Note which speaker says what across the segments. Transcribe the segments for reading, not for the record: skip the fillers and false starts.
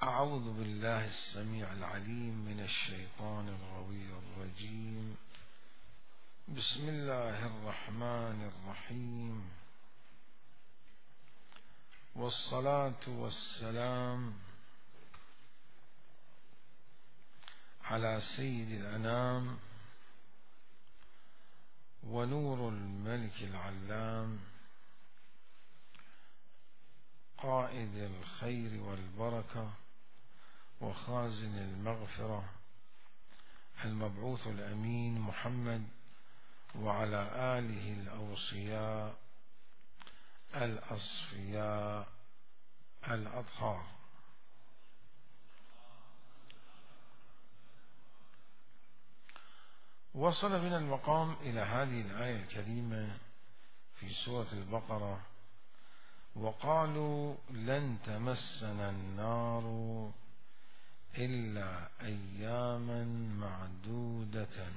Speaker 1: أعوذ بالله السميع العليم من الشيطان الغوي الرجيم. بسم الله الرحمن الرحيم، والصلاة والسلام على سيد الأنام ونور الملك العلام قائد الخير والبركة وخازن المغفرة المبعوث الأمين محمد وعلى آله الأوصياء الأصفياء الأطهار. وصل بنا المقام إلى هذه الآية الكريمة في سورة البقرة: وقالوا لن تمسنا النار إلا أياما معدودة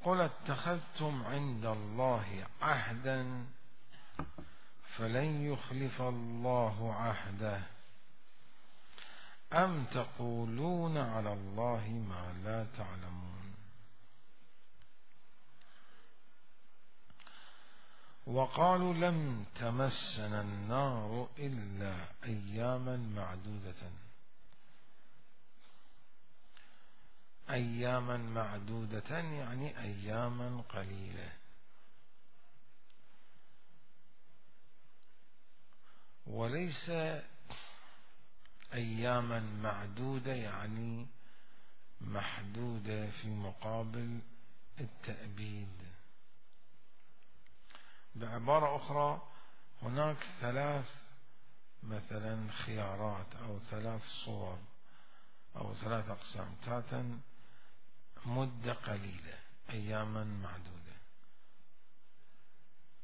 Speaker 1: قل اتخذتم عند الله عهدا فلن يخلف الله عهده أم تقولون على الله ما لا تعلمون. وقالوا لم تمسنا النار إلا أياما معدودة. أياما معدودة يعني أياما قليلة، وليس أياما معدودة يعني محدودة في مقابل التأبيد. بعبارة أخرى، هناك مثلا خيارات أو 3 صور أو 3 أقسام: تاتا مدة قليلة أياما معدودة،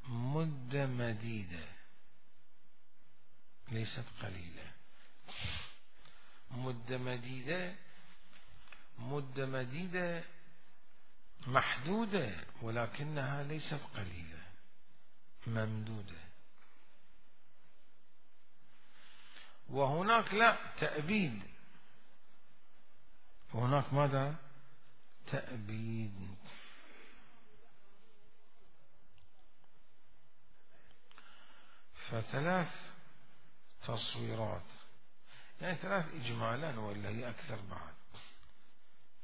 Speaker 1: مدة مديدة ليست قليلة، مدة مديدة محدودة ولكنها ليست قليلة، ممدودة. وهناك لا تأبيد، وهناك ماذا؟ تأبيد. ف3 تصويرات، يعني 3 إجمالا ولا هي أكثر بعد،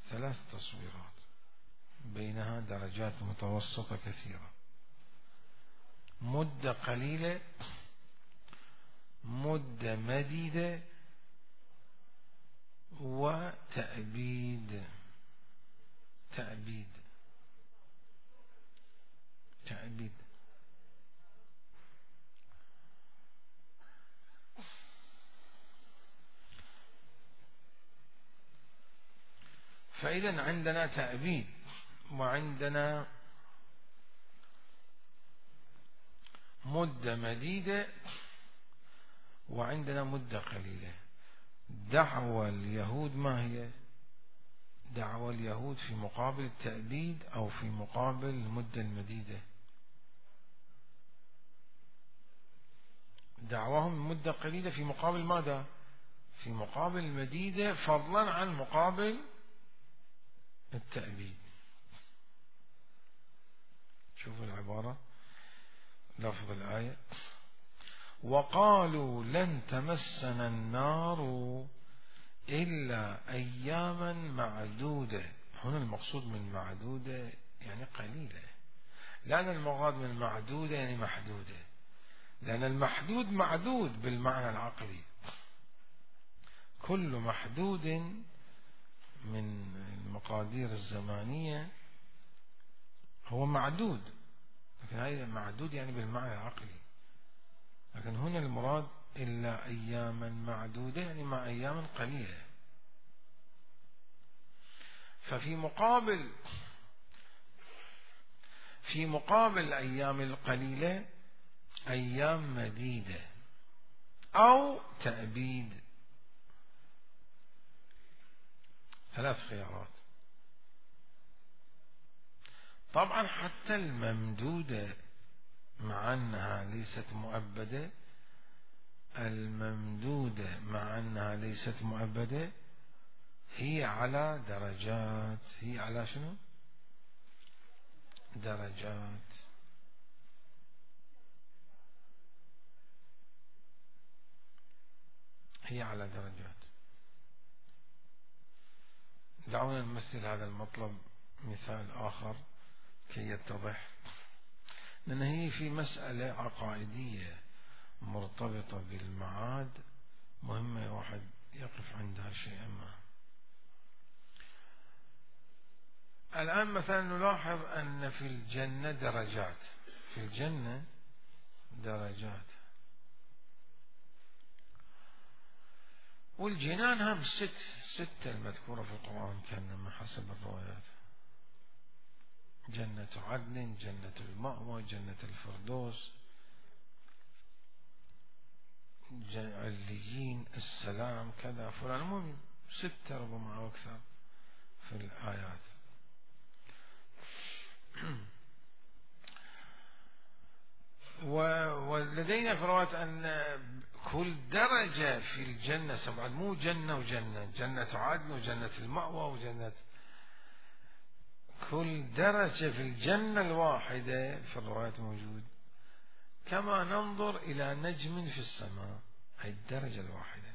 Speaker 1: 3 تصويرات بينها درجات متوسطة كثيرة: مدة قليلة، مدة مديدة، وتأبيد. تأبيد فإذا عندنا تأبيد، وعندنا مدة مديدة، وعندنا مدة قليلة. دعوى اليهود ما هي؟ دعوى اليهود في مقابل التأبيد أو في مقابل المدة المديدة؟ دعواهم المدة قليلة في مقابل ماذا؟ في مقابل المديدة، فضلا عن مقابل التأبيد. شوفوا العبارة، لفظ الآية: وقالوا لن تمسنا النار إلا أياما معدودة. هنا المقصود من معدودة يعني قليلة، لأن المراد من معدودة يعني محدودة، لأن المحدود معدود بالمعنى العقلي، كل محدود من المقادير الزمانية هو معدود، لكن هذا معدود يعني بالمعنى العقلي. لكن هنا المراد إلا أياما معدودة يعني مع أيام قليلة. ففي مقابل الأيام القليلة أيام مديدة أو تأبيد. 3 خيارات. طبعا حتى الممدودة مع أنها ليست مؤبدة الممدودة مع أنها ليست مؤبدة هي على درجات. هي على شنو؟ درجات. هي على درجات. دعونا نمثل هذا المطلب مثال آخر كي يتضح، لأن هي في مسألة عقائدية مرتبطة بالمعاد مهمة واحد يقف عندها شيئا ما. الآن مثلا نلاحظ أن في الجنة درجات. في الجنة درجات، والجنان هم ستة المذكورة في القرآن كان حسب الروايات: جنة عدن، جنة المأوى، جنة الفردوس، عليين، السلام، كذا فلان، المهم ستة ربما أو أكثر في الآيات. ولدينا في رواية أن كل درجة في الجنة سبعة، مو جنة وجنة، جنة عدن وجنة المأوى وجنة، كل درجة في الجنة الواحدة في الروايات موجود كما ننظر إلى نجم في السماء. هي الدرجة الواحدة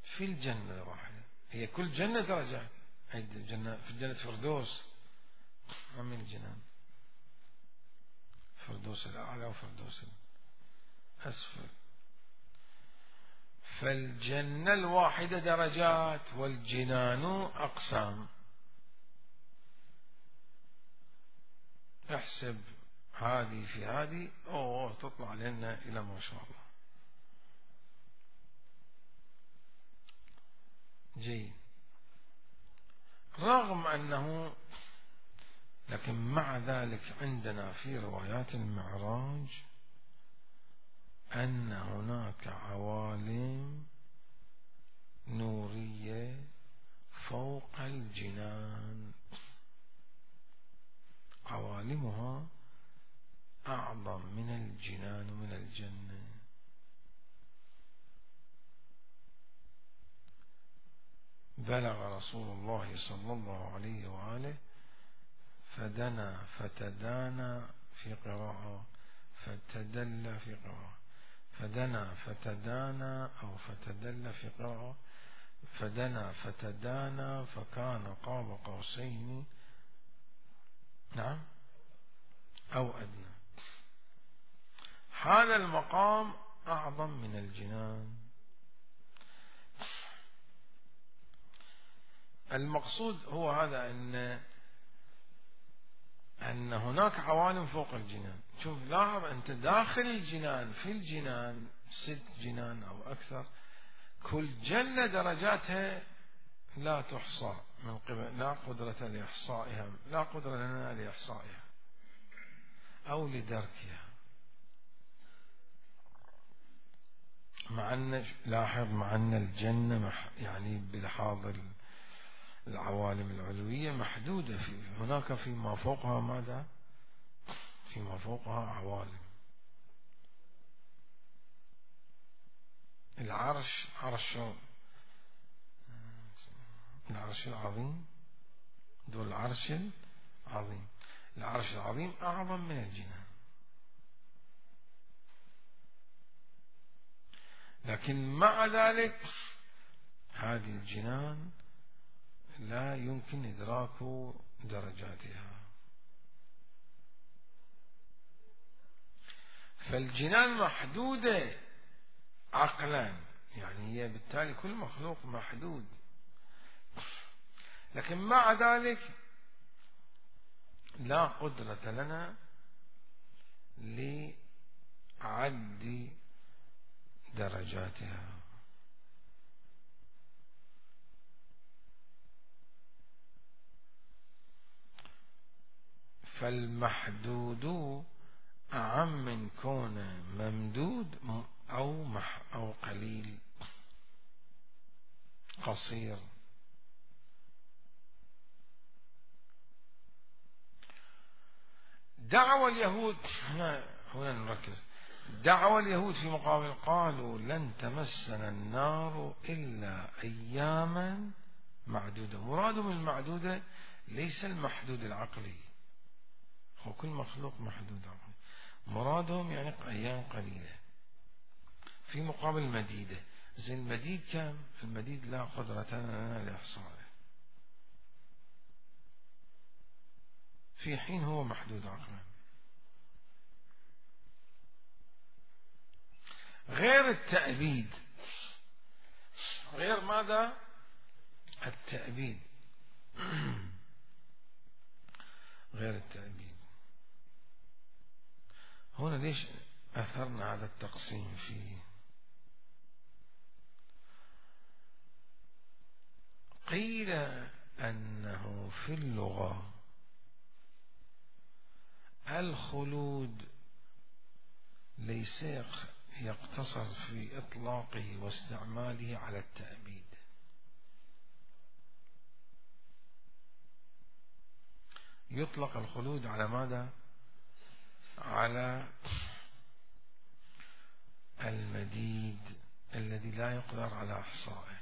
Speaker 1: في الجنة الواحدة. هي كل جنة درجات. هي الجنة في جنة فردوس من الجنان، فردوس الأعلى وفردوس الأسفل. فالجنة الواحدة درجات والجنان أقسام. احسب هذه في هذه تطلع لنا إلى ما شاء الله. جيد. رغم أنه، لكن مع ذلك عندنا في روايات المعراج أن هناك عوالم نورية فوق الجنان، عوالمها أعظم من الجنان ومن الجنة. بلغ رسول الله صلى الله عليه وآله فدنا فتدانى في قراءة، فتدلى في قراءة، فدنا فتدانى أو فتدلى في قراءة، فدنا فتدانى فكان قاب قوسين نعم أو أدنى. هذا المقام أعظم من الجنان. المقصود هو هذا، أن هناك عوالم فوق الجنان. شوف لاحظ أنت داخل الجنان، في الجنان 6 جنان أو أكثر، كل جنة درجاتها لا تحصى من قبل، لا قدرة لإحصائها، لا قدرة لنا لإحصائها أو لدركها. مع أن لاحظ، مع أن الجنة يعني بلحاظ العوالم العلوية محدودة، هناك فيما فوقها ماذا؟ فيما فوقها عوالم. العرش، العرش العظيم، ذو العرش العظيم، العرش العظيم أعظم من الجنان. لكن مع ذلك هذه الجنان لا يمكن إدراك درجاتها. فالجنان محدودة عقلا، يعني هي بالتالي كل مخلوق محدود، لكن مع ذلك لا قدرة لنا لعد درجاتها. فالمحدود أعم من كونه ممدود أو قليل قصير. دعوى اليهود هنا نركز، دعوى اليهود في مقابل قالوا لن تمسنا النار إلا أياما معدودة. مرادهم المعدودة ليس المحدود العقلي، هو كل مخلوق محدود عقلي، مرادهم يعني أيام قليلة في مقابل مديدة. زين المديد كم؟ المديد لا قدرة لنا لإحصائه، في حين هو محدود عقلا. غير التأبيد، غير ماذا؟ التأبيد. غير التأبيد. هنا ليش أثرنا هذا التقسيم فيه؟ قيل أنه في اللغة الخلود ليس يقتصر في إطلاقه واستعماله على التأبيد، يطلق الخلود على ماذا؟ على المديد الذي لا يقدر على إحصائه.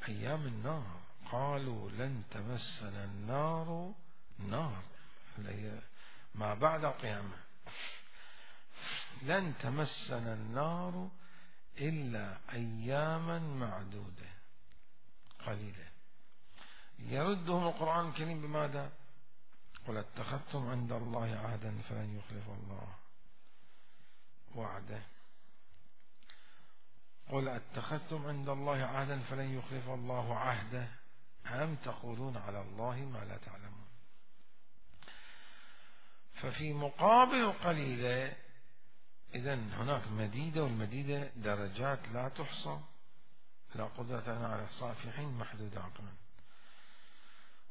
Speaker 1: أيام النار قالوا لن تمسنا النار، نار ما بعد القيامة، لن تمسنا النار إلا أياما معدودة قليلة. يردهم القرآن الكريم بماذا؟ قل اتخذتم عند الله عهدا فلن يخلف الله وعده. قل اتخذتم عند الله عهدا فلن يخلف الله عهده أم تقولون على الله ما لا تعلمون. ففي مقابل قليلة إذن هناك مديدة، والمديدة درجات لا تحصى، لا قدرة لنا على إحصاء، في حين محدود عقلا.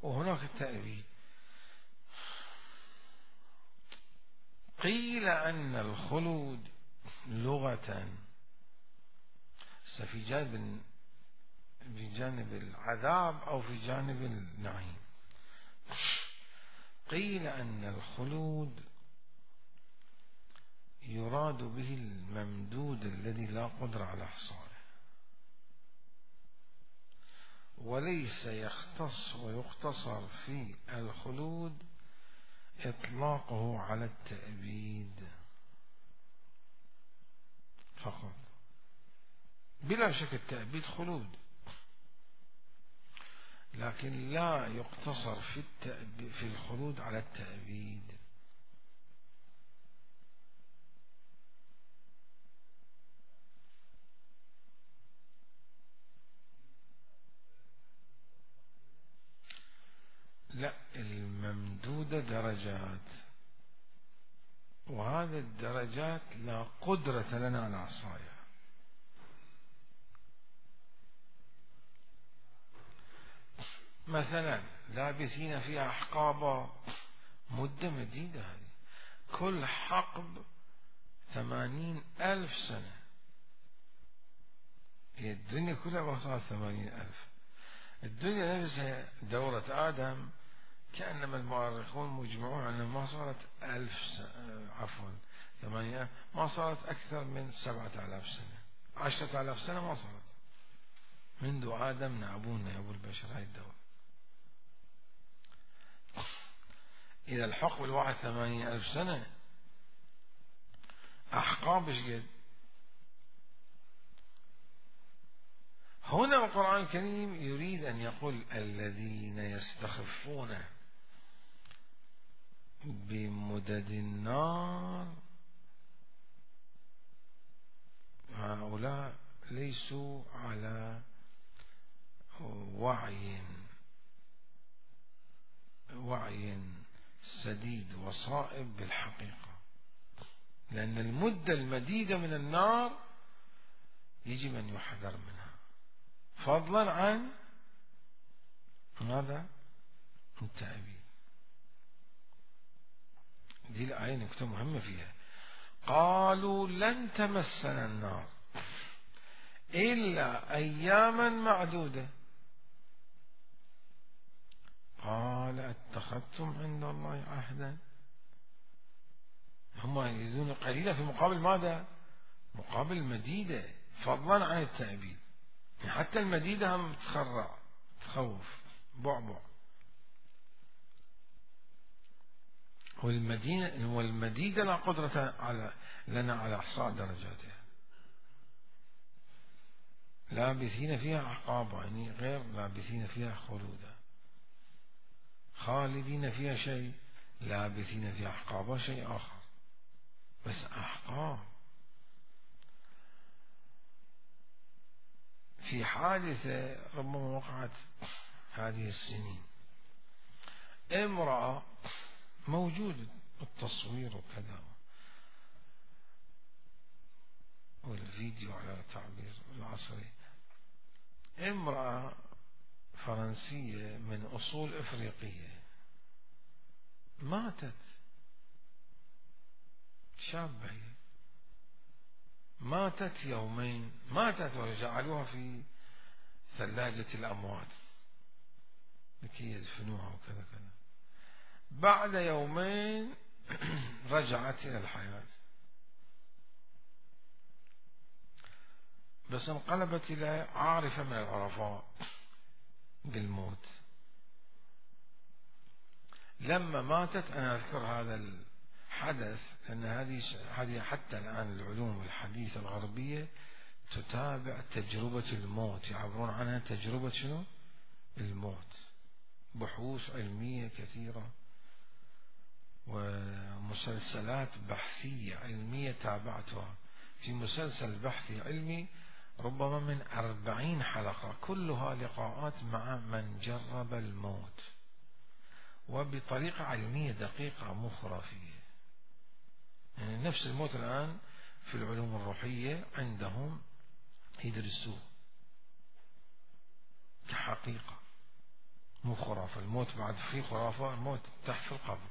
Speaker 1: وهناك التأبيد. قيل أن الخلود لغة في جانب العذاب أو في جانب النعيم. قيل أن الخلود يراد به الممدود الذي لا قدرة على إحصائه، وليس يختص ويقتصر في الخلود إطلاقه على التأبيد فقط. بلا شك التأبيد خلود، لكن لا يقتصر في الخلود على التأبيد. لا، الممدودة درجات، وهذه الدرجات لا قدرة لنا على إحصائها. مثلا لابثين فيها أحقابا، مدة مديدة هذه، كل حقب 80,000 سنة. هي الدنيا كلها وصلت 80,000. الدنيا نفسها دورة آدم كأنما المؤرخون مجمعون أنها ما صارت 8 ما صارت أكثر من 7,000 سنة، 10,000 سنة ما صارت منذ آدم نعبون يا أبو البشر هاي الدورة. إذا الحقب الواحد 80,000 سنة، أحقاب إيش قد؟ هنا القرآن الكريم يريد أن يقول الذين يستخفون بمدد النار هؤلاء ليسوا على وعي سديد وصائب بالحقيقة، لأن المدة المديدة من النار يجب أن يحذر منها، فضلا عن ماذا؟ التأبيد. دي الآية نكتة مهمة فيها. قالوا لن تمسنا النار إلا أياما معدودة. قال اتخذتم عند الله عهدا. هم يزيدون قليلا في مقابل ماذا؟ مقابل مديدة، فضلا عن التأبيد. حتى المديدة هم تخرع تخوف بعبع. والمديدة لا قدرة لنا على إحصاء درجاتها. لابثين فيها أحقابا، يعني غير لابثين فيها خلودا. خالدين فيها شيء، لابثين فيها أحقابا شيء آخر، بس أحقاب. في حادثة ربما وقعت هذه السنين، امرأة موجود التصوير وكذا والفيديو على تعبير العصري، امرأة فرنسية من أصول إفريقية ماتت، شابة هي، ماتت يومين، ماتت وجعلوها في ثلاجة الأموات لكي يدفنوها وكذا كذا. بعد يومين رجعت إلى الحياة، بس انقلبت إلى عارفة من العرفاء بالموت. لما ماتت، أنا أذكر هذا الحدث لأن هذه حتى الآن العلوم الحديثة الغربية تتابع تجربة الموت، يعبرون عنها تجربة شنو؟ الموت. بحوث علمية كثيرة ومسلسلات بحثية علمية تابعتها. في مسلسل بحثي علمي ربما من 40 حلقة، كلها لقاءات مع من جرب الموت وبطريقة علمية دقيقة مو خرافية. يعني نفس الموت الآن في العلوم الروحية عندهم يدرسوه كحقيقة مو خرافة. الموت بعد فيه خرافة، الموت تحت في القبر.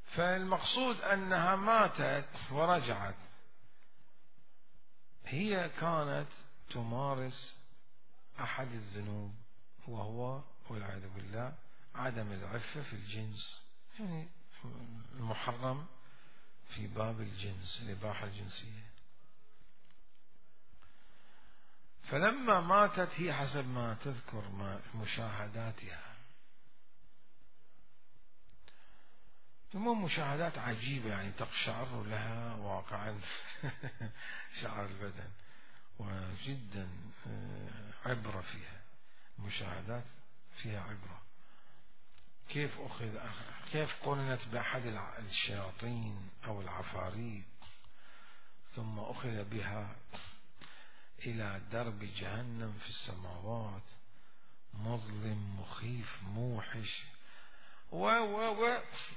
Speaker 1: فالمقصود أنها ماتت ورجعت. هي كانت تمارس أحد الذنوب، وهو والعياذ بالله عدم العفة في الجنس، يعني المحرم في باب الجنس، الإباحة الجنسية. فلما ماتت هي حسب ما تذكر مشاهداتها، المهم مشاهدات عجيبة، يعني تقشعر لها واقعا شعر البدن، وجدا عبرة فيها، مشاهدات فيها عبرة. كيف قرنت بأحد الشياطين أو العفاريت، ثم أخذ بها إلى درب جهنم في السماوات، مظلم مخيف موحش،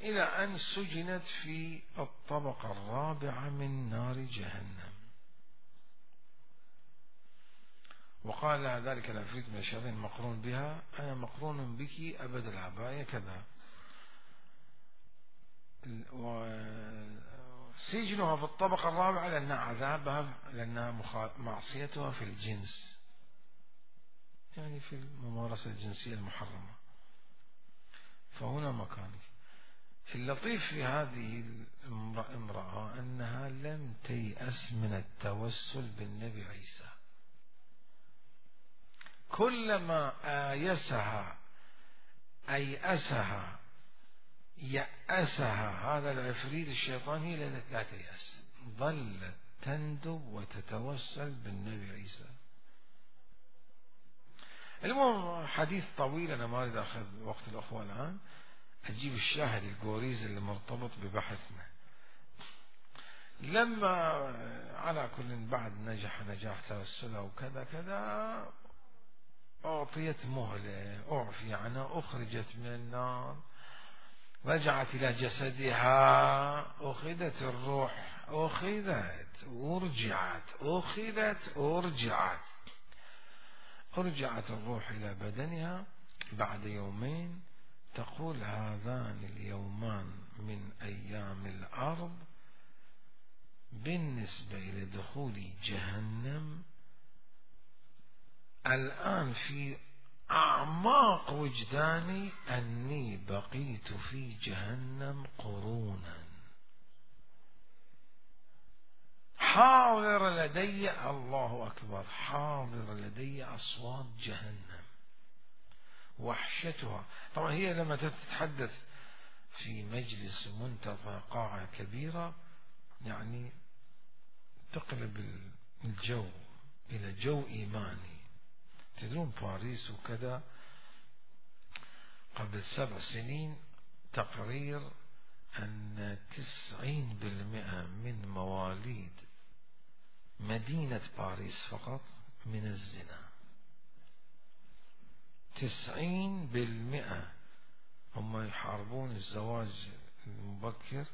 Speaker 1: إلى أن سجنت في الطبقة الرابعة من نار جهنم. وقال لها ذلك العفريت من الشياطين مقرون بها: أنا مقرون بك أبد العباية كذا. وسجنها في الطبقة الرابعة لأن عذابها، لأن معصيتها في الجنس، يعني في الممارسة الجنسية المحرمة. فهنا مكانك. اللطيف في هذه الامرأة أنها لم تيأس من التوسل بالنبي عيسى. كلما أيأسها يأسها هذا العفريت الشيطاني لا تيأس، ظلت تندب وتتوسل بالنبي عيسى. المهم حديث طويل، أنا ما أريد أخذ وقت الأخوة الآن، أجيب الشاهد الجوريز اللي مرتبط ببحثنا. لما على كل بعد نجاح توسلها وكذا كذا، أعطيت مهلة، أعفي عنها، أخرجت من النار، رجعت إلى جسدها، أخذت الروح، أخذت أرجعت الروح إلى بدنها بعد يومين. تقول: هذان اليومان من أيام الأرض بالنسبة إلى دخول جهنم الآن في أعماق وجداني أني بقيت في جهنم قرونا، حاضر لدي، الله أكبر، حاضر لدي أصوات جهنم، وحشتها. طبعا هي لما تتحدث في مجلس منتظر قاعة كبيرة يعني تقلب الجو إلى جو إيماني. تدرون باريس وكذا قبل 7 سنين تقرير أن 90% من مواليد مدينة باريس فقط من الزنا. 90% هم يحاربون الزواج المبكر،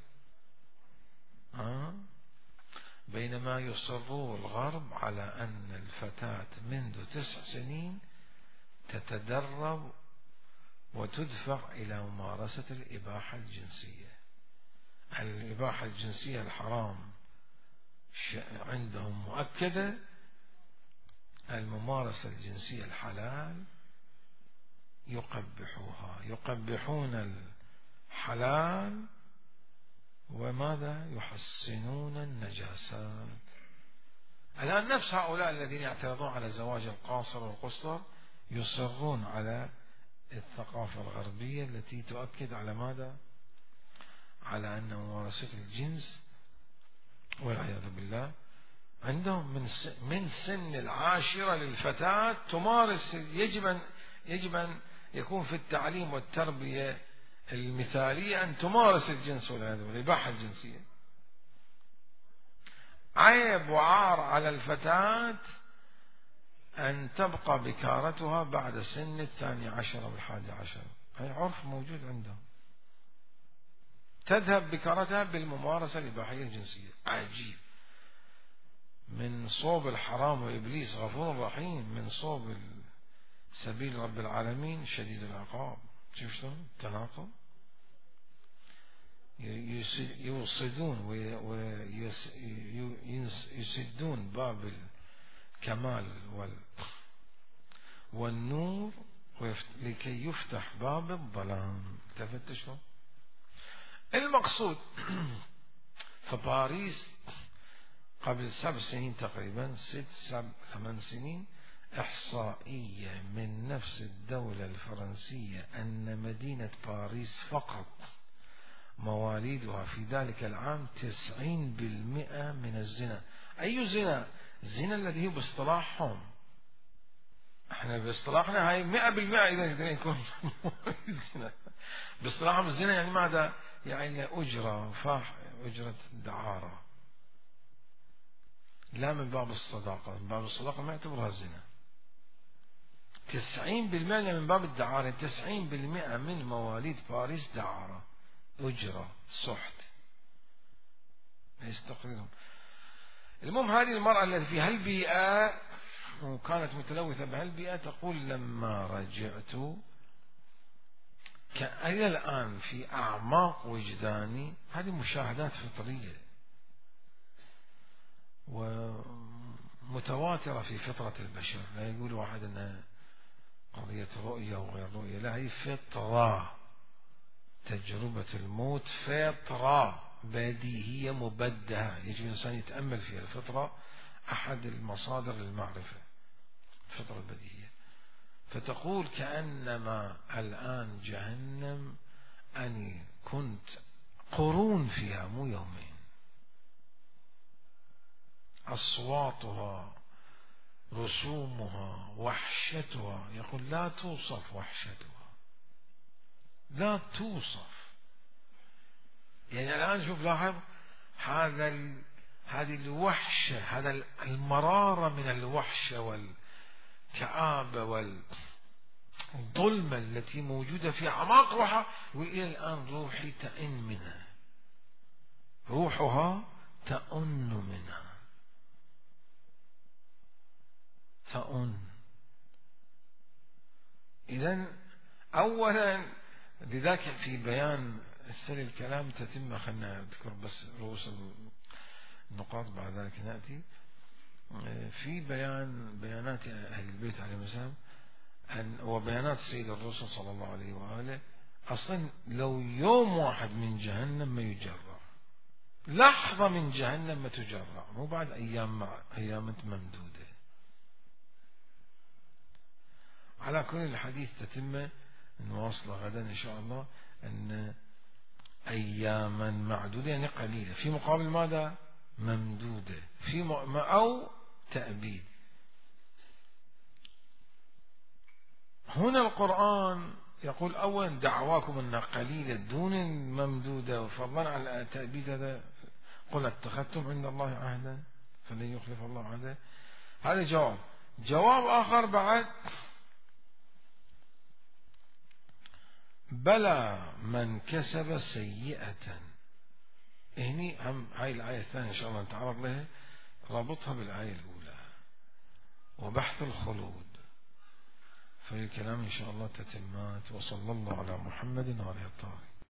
Speaker 1: بينما يصر الغرب على أن الفتاة منذ 9 سنين تتدرب وتدفع إلى ممارسة الإباحة الجنسية. الإباحة الجنسية الحرام عندهم مؤكدة، الممارسة الجنسية الحلال يقبحوها، يقبحون الحلال وماذا يحسنون النجاسات. الآن نفس هؤلاء الذين يعترضون على زواج القاصر والقصر يصرون على الثقافة الغربية التي تؤكد على ماذا؟ على أن ممارسة الجنس والعياذ بالله عندهم من سن 10 للفتاة تمارس. يجب أن يكون في التعليم والتربية المثالية أن تمارس الجنس والعياذ بالله، الإباحة الجنسية. عيب وعار على الفتاة أن تبقى بكارتها بعد سن 12 و11. هي عرف موجود عندهم، تذهب بكارتها بالممارسة الإباحية الجنسية. عجيب، من صوب الحرام وإبليس غفور رحيم، من صوب سبيل رب العالمين شديد العقاب. شوف شلون تناقض. يوصدون ويسدون باب الكمال والنور لكي يفتح باب الظلام. تفتشوا المقصود. فباريس قبل 7 سنين تقريبا، 6-8 سنين، إحصائية من نفس الدولة الفرنسية أن مدينة باريس فقط مواليدها في ذلك العام 90% من الزنا. أي زنا؟ الزنا الذي هو باصطلاحهم، احنا باصطلاحنا هاي 100% إذا يكون الزنا. باصطلاحهم الزنا يعني ماذا؟ يعني أجرة أجرة دعارة، لا من باب الصداقة. من باب الصداقة ما يعتبرها الزنا. 90% من باب الدعارة. 90% من مواليد باريس دعارة، أجرة، سحت، يستقرهم. المهم هذه المرأة التي في هالبيئة وكانت متلوثة بهالبيئة تقول لما رجعت إلى الآن في أعماق وجداني هذه مشاهدات فطرية ومتواترة في فطرة البشر. لا يقول واحد أنها قضية رؤية وغير رؤية، لا، هي فطرة. تجربة الموت فطرة بديهية مبدهة، يجب الإنسان يتأمل فيها. الفطرة أحد المصادر للمعرفة، الفطرة البديهية. فتقول كأنما الآن جهنم أني كنت قرون فيها مو يومين، أصواتها، رسومها، وحشتها، يقول لا توصف وحشتها، لا توصف. يعني الآن شوف لاحظ هذه الوحشة، هذا المرارة من الوحشة والكآبة والظلمة التي موجودة في أعماق روحها، وإلى الآن روحي تئن منها، روحها تئن منها، تئن. إذن أولا لذلك في بيان السل الكلام تتم، خلنا نذكر بس رؤوس النقاط بعد ذلك نأتي في بيانات أهل البيت عليهم السلام وبيانات سيد الرسل صلى الله عليه وآله. أصلا لو يوم واحد من جهنم ما يجرع، لحظة من جهنم ما تجرع، مو بعد أيام ممدودة. على كل الحديث تتمة نواصل غدا إن شاء الله، أن أياما معدودة يعني قليلة، في مقابل ماذا؟ ممدودة، أو تأبيد. هنا القرآن يقول أولا دعواكم أنها قليلة دون ممدودة، فضلا على التأبيد هذا قل اتخذتم عند الله عهدا فلن يخلف الله عهدا. هذا جواب آخر بعد، بلى من كسب سيئة. هني هم هاي الآية الثانية إن شاء الله نتعرض لها، رابطها بالآية الأولى وبحث الخلود، في الكلام إن شاء الله تتمات. وصلى الله على محمد وعلى آله الطاهرين.